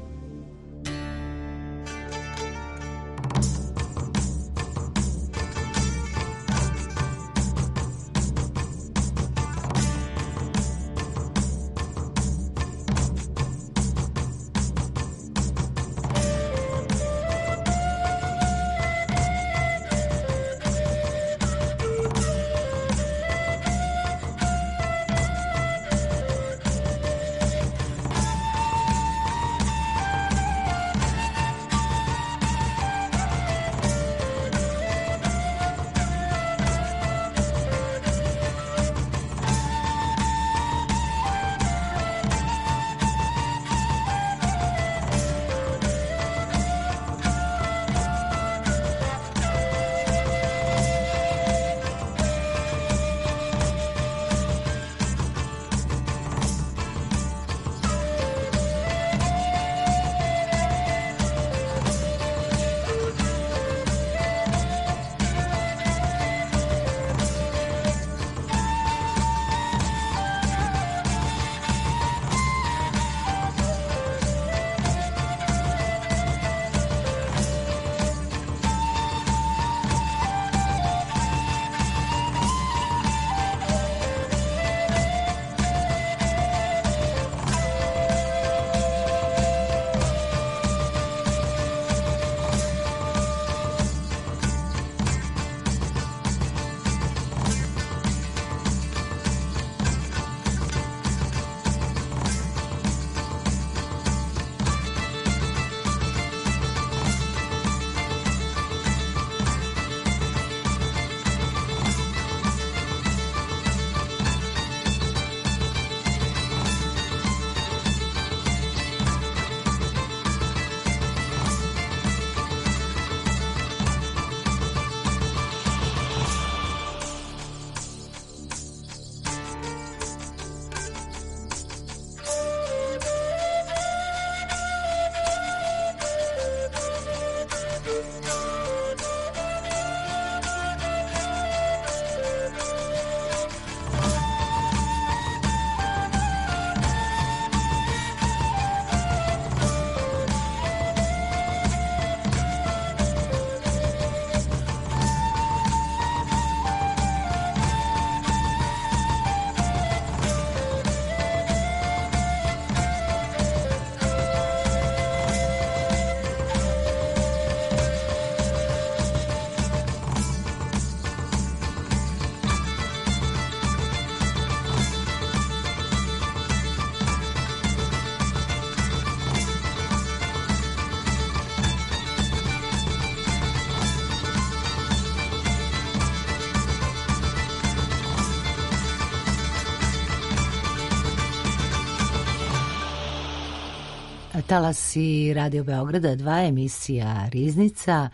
Talasi Radio Beograda 2, emisija Riznica.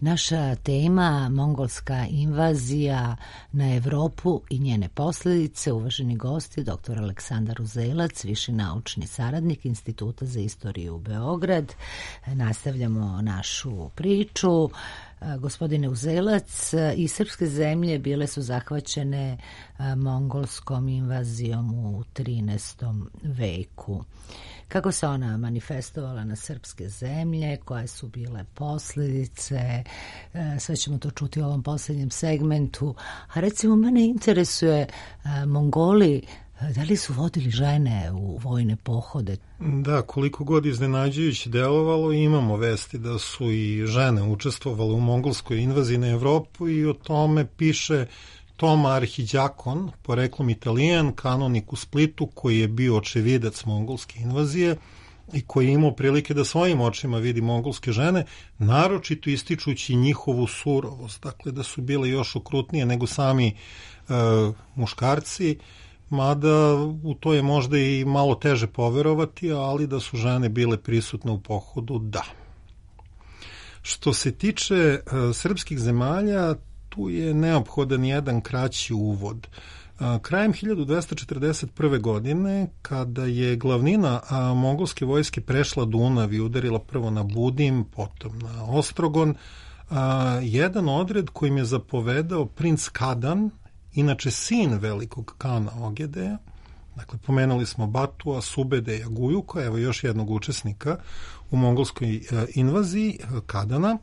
Naša tema mongolska invazija na Evropu i njene posljedice. Uvaženi gosti, dr. Aleksandar Uzelac, viši naučni saradnik Instituta za istoriju Beograd. Nastavljamo našu priču. Gospodine Uzelac, i srpske zemlje bile su zahvaćene mongolskom invazijom u 13. veku. Kako se ona manifestovala na srpske zemlje, koje su bile posljedice, sve ćemo to čuti u ovom posljednjem segmentu. A recimo, mene interesuje, Mongoli, da li su vodili žene u vojne pohode? Da, koliko god iznenađujuće delovalo, imamo vesti da su i žene učestvovale u mongolskoj invaziji na Evropu i o tome piše Toma Arhiđakon, poreklom Italijan, kanonik u Splitu, koji je bio očevidac mongolske invazije i koji je imao prilike da svojim očima vidi mongolske žene, naročito ističući njihovu surovost, dakle da su bile još okrutnije nego sami muškarci, mada u to je možda i malo teže poverovati, ali da su žene bile prisutne u pohodu, da. Što se tiče srpskih zemalja, tu je neophodan jedan kraći uvod. Krajem 1241. godine, kada je glavnina mongolske vojske prešla Dunav i udarila prvo na Budim, potom na Ostrogon, jedan odred kojim je zapovedao princ Kadan, inače sin velikog kana Ogedeja, dakle pomenuli smo Batua, Subede i Agujuka, evo još jednog učesnika u mongolskoj invaziji, Kadana.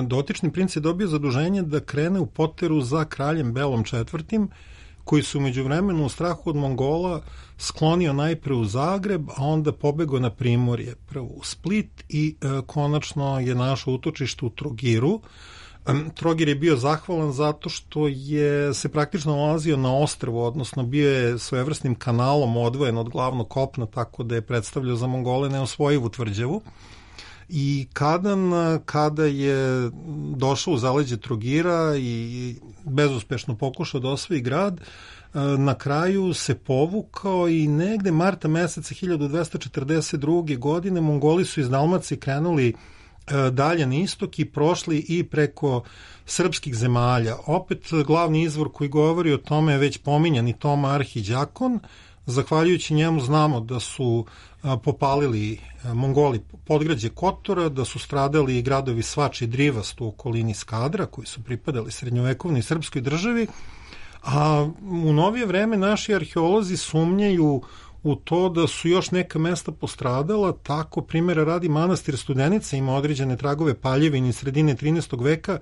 Dotični princ je dobio zaduženje da krene u poteru za kraljem Belom IV, koji su umeđu vremenu u strahu od Mongola sklonio najpre u Zagreb, a onda pobegao na Primorje, prvo u Split i konačno je našao utočište u Trogiru. Trogir je bio zahvalan zato što je se praktično nalazio na ostrvu, odnosno bio je svojevrsnim kanalom odvojen od glavnog kopna, tako da je predstavljao za Mongole neosvojivu tvrđavu. I Kadan, kada je došao u zaleđe Trogira i bezuspešno pokušao da osvoji grad, na kraju se povukao i negde marta meseca 1242. godine Mongoli su iz Dalmacije krenuli dalje na istok i prošli i preko srpskih zemalja. Opet glavni izvor koji govori o tome je već pominjani Toma Arhiđakon. Zahvaljujući njemu znamo da su popalili Mongoli podgrađe Kotora, da su stradali i gradovi Svač i Drivast u okolini Skadra, koji su pripadali srednjovekovnoj srpskoj državi, a u novije vreme naši arheolozi sumnjaju u to da su još neka mesta postradala, tako primjera radi manastir Studenica ima određene tragove paljevine sredine 13. veka,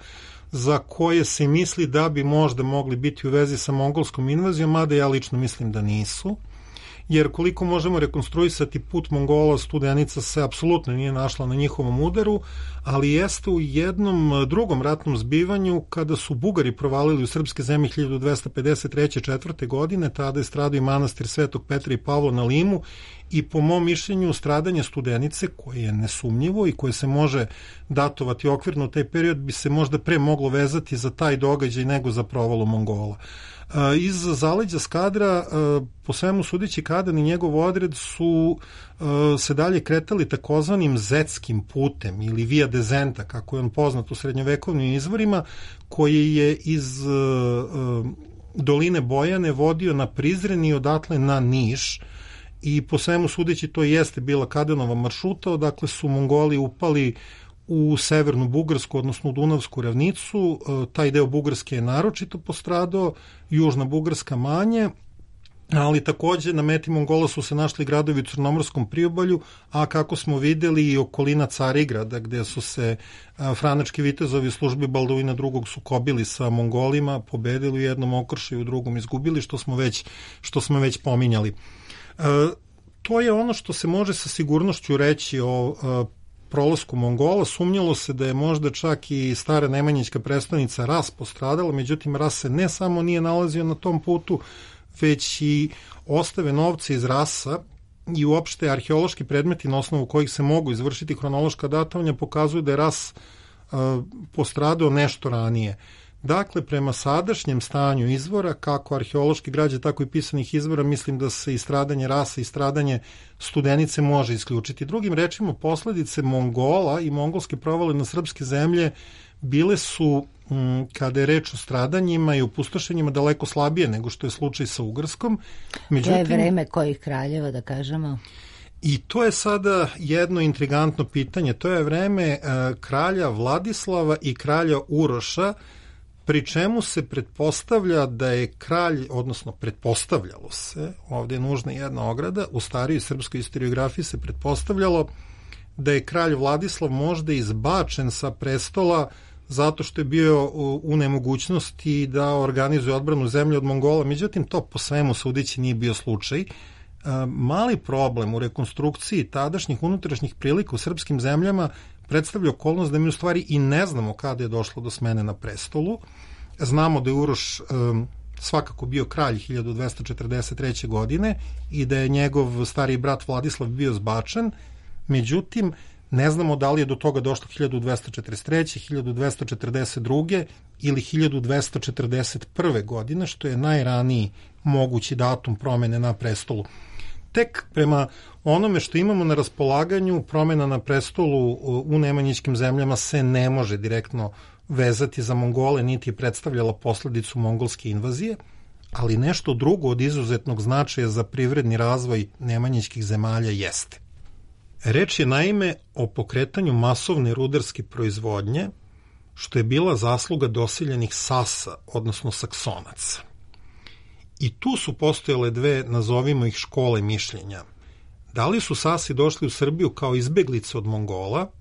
za koje se misli da bi možda mogli biti u vezi sa mongolskom invazijom, mada ja lično mislim da nisu. Jer koliko možemo rekonstruisati put Mongola, Studenica se apsolutno nije našla na njihovom udaru, ali jeste u jednom drugom ratnom zbivanju kada su Bugari provalili u srpske zemlje 1253. godine, tada je stradao i manastir Svetog Petra i Pavla na Limu i po mom mišljenju stradanje Studenice, koje je nesumnjivo i koje se može datovati okvirno u taj period, bi se možda pre moglo vezati za taj događaj nego za provalu Mongola. Iz zaleđa Skadra, po svemu sudeći, Kadan i njegov odred su se dalje kretali takozvanim zetskim putem ili via dezenta, kako je on poznat u srednjovekovnim izvorima, koji je iz doline Bojane vodio na Prizren i odatle na Niš, i po svemu sudeći to jeste bila Kadanova maršruta, odakle su Mongoli upali u severnu Bugarsku, odnosno u Dunavsku ravnicu. Taj deo Bugarske je naročito postradao, južna Bugarska manje, ali takođe na meti Mongola su se našli gradovi u Crnomorskom priobalju, a kako smo videli i okolina Carigrada, gde su se franački vitezovi službi Baldovina II. Sukobili sa Mongolima, pobedili u jednom okršaju, u drugom izgubili, što smo već pominjali. To je ono što se može sa sigurnošću reći o prolasku Mongola. Sumnjalo se da je možda čak i stara nemanjićka prestonica Ras postradala, međutim Ras se ne samo nije nalazio na tom putu, već i ostave novce iz Rasa i uopšte arheološki predmeti na osnovu kojih se mogu izvršiti hronološka datovanja pokazuju da je Ras postradao nešto ranije. Dakle, prema sadašnjem stanju izvora, kako arheološke građe, tako i pisanih izvora, mislim da se i stradanje rase i stradanje Studenice može isključiti. Drugim rečima, posledice Mongola i mongolske provale na srpske zemlje bile su, kada je reč o stradanjima i opustošenjima, daleko slabije nego što je slučaj sa Ugarskom. Međutim, to je vreme kojih kraljeva, da kažemo? I to je sada jedno intrigantno pitanje. To je vreme kralja Vladislava i kralja Uroša, pri čemu se pretpostavlja da je kralj, odnosno pretpostavljalo se, ovdje je nužna jedna ograda, u starijoj srpskoj historiografiji se pretpostavljalo da je kralj Vladislav možda izbačen sa prestola zato što je bio u nemogućnosti da organizuje odbranu zemlje od Mongola. Međutim, to po svemu sudeći nije bio slučaj. Mali problem u rekonstrukciji tadašnjih unutrašnjih prilika u srpskim zemljama predstavlja okolnost da mi u stvari i ne znamo kada je došlo do smene na prestolu. Znamo da je Uroš svakako bio kralj 1243. godine i da je njegov stari brat Vladislav bio zbačen, međutim ne znamo da li je do toga došlo 1243. 1242. ili 1241. godine, što je najraniji mogući datum promene na prestolu. Tek prema onome što imamo na raspolaganju, promena na prestolu u nemanjićkim zemljama se ne može direktno vezati za Mongole, niti je predstavljala posledicu mongolske invazije, ali nešto drugo od izuzetnog značaja za privredni razvoj nemanjićkih zemalja jeste. Reč je naime o pokretanju masovne rudarske proizvodnje, što je bila zasluga doseljenih Sasa, odnosno Saksonaca. I tu su postojale dve, nazovimo ih, škole mišljenja. Da li su Sasi došli u Srbiju kao izbeglice od Mongola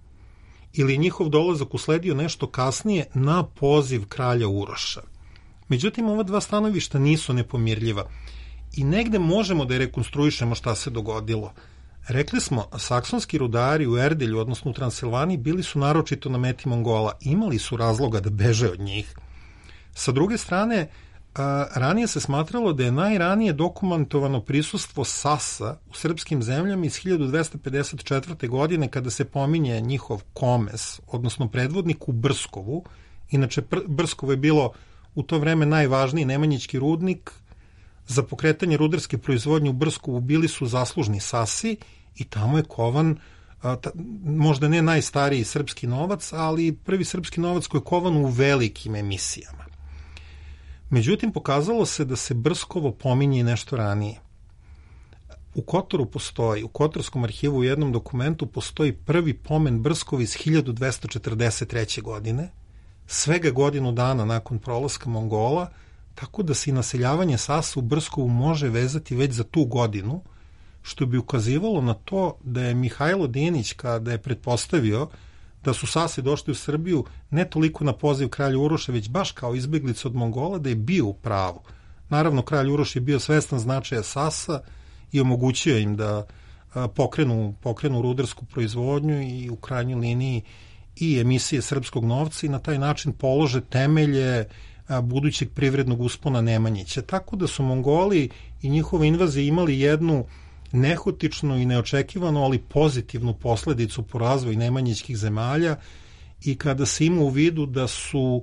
ili njihov dolazak usledio nešto kasnije na poziv kralja Uroša. Međutim, ova dva stanovišta nisu nepomirljiva i negde možemo da je rekonstruišemo šta se dogodilo. Rekli smo, saksonski rudari u Erdelju, odnosno u Transilvaniji, bili su naročito na meti Mongola. Imali su razloga da beže od njih. Sa druge strane, ranije se smatralo da je najranije dokumentovano prisustvo Sasa u srpskim zemljama iz 1254. godine, kada se pominje njihov komes, odnosno predvodnik u Brskovu. Inače, Brskovo je bilo u to vreme najvažniji nemanjićki rudnik. Za pokretanje rudarske proizvodnje u Brskovu bili su zaslužni Sasi i tamo je kovan, možda ne najstariji srpski novac, ali prvi srpski novac koji je kovan u velikim emisijama. Međutim, pokazalo se da se Brskovo pominje nešto ranije. U Kotoru postoji, u Kotorskom arhivu u jednom dokumentu postoji prvi pomen Brskova iz 1243. godine, svega godinu dana nakon prolaska Mongola, tako da se i naseljavanje Sasa u Brskovu može vezati već za tu godinu, što bi ukazivalo na to da je Mihajlo Dinić, kada je pretpostavio da su Sasi došli u Srbiju ne toliko na poziv kralja Uroša, već baš kao izbeglica od Mongola, da je bio u pravu. Naravno, kralj Uroš je bio svestan značaja Sasa i omogućio im da pokrenu rudarsku proizvodnju i u krajnjoj liniji i emisije srpskog novca i na taj način polože temelje budućeg privrednog uspona Nemanjića. Tako da su Mongoli i njihove invazije imali jednu nehotičnu i neočekivanu, ali pozitivnu posledicu po razvoju nemanjićkih zemalja i kada se ima u vidu da su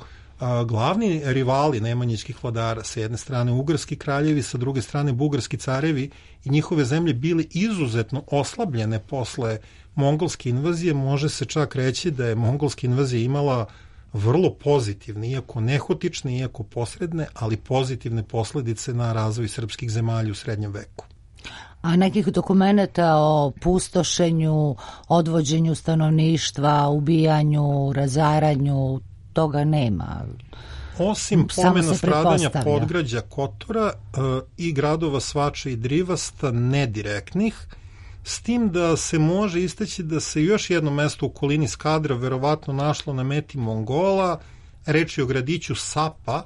glavni rivali nemanjićkih vladara, sa jedne strane ugarski kraljevi, sa druge strane bugarski carevi i njihove zemlje bili izuzetno oslabljene posle mongolske invazije, može se čak reći da je mongolska invazija imala vrlo pozitivne, iako nehotične, iako posredne, ali pozitivne posledice na razvoj srpskih zemalja u srednjem veku. A nekih dokumenta o pustošenju, odvođenju stanovništva, ubijanju, razaranju, toga nema. Osim pomena stradanja podgrađa Kotora i gradova Svača i Drivasta, nedirektnih, s tim da se može istaći da se još jedno mesto u okolini Skadra verovatno našlo na meti Mongola, reč je o gradiću Sapa,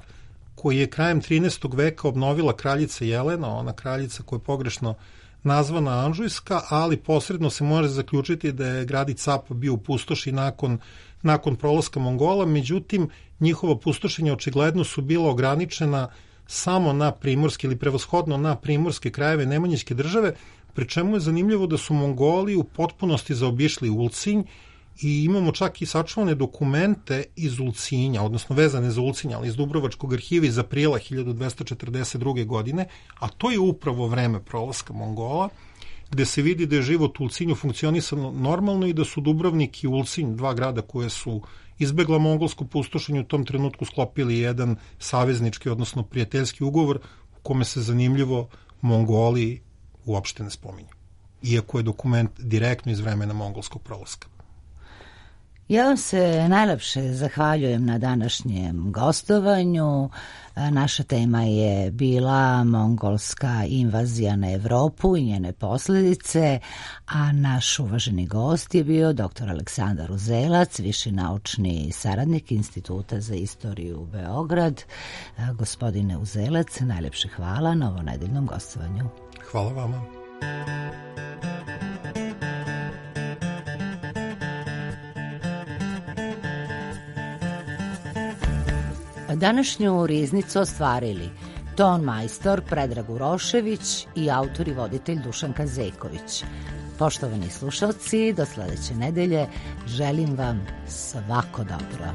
koji je krajem 13. veka obnovila kraljica Jelena, ona kraljica koja je pogrešno nazvana Anžujska, ali posredno se može zaključiti da je gradić Sapa bio u pustoši nakon prolaska Mongola, međutim njihova pustošenja očigledno su bila ograničena samo na primorske ili prevashodno na primorske krajeve Nemanjićke države, pri čemu je zanimljivo da su Mongoli u potpunosti zaobišli Ulcinj i imamo čak i sačuvane dokumente iz Ulcinja, odnosno vezane za Ulcinja, ali iz Dubrovačkog arhiva iz aprila 1242. godine, a to je upravo vreme prolaska Mongola, gde se vidi da je život u Ulcinju funkcionisano normalno i da su Dubrovnik i Ulcinj, dva grada koje su izbegla mongolsko pustošenje, u tom trenutku sklopili jedan saveznički, odnosno prijateljski ugovor u kome se zanimljivo Mongoli uopšte ne spominju, iako je dokument direktno iz vremena mongolskog prolaska. Ja vam se najlepše zahvaljujem na današnjem gostovanju. Naša tema je bila mongolska invazija na Evropu i njene posljedice, a naš uvaženi gost je bio dr. Aleksandar Uzelac, viši naučni saradnik Instituta za istoriju Beograd. Gospodine Uzelac, najlepše hvala na ovonedeljnom gostovanju. Hvala vama. Današnju riznicu ostvarili ton majstor Predrag Urošević i autor i voditelj Dušan Kazeković. Poštovani slušalci, do sledeće nedelje želim vam svako dobro.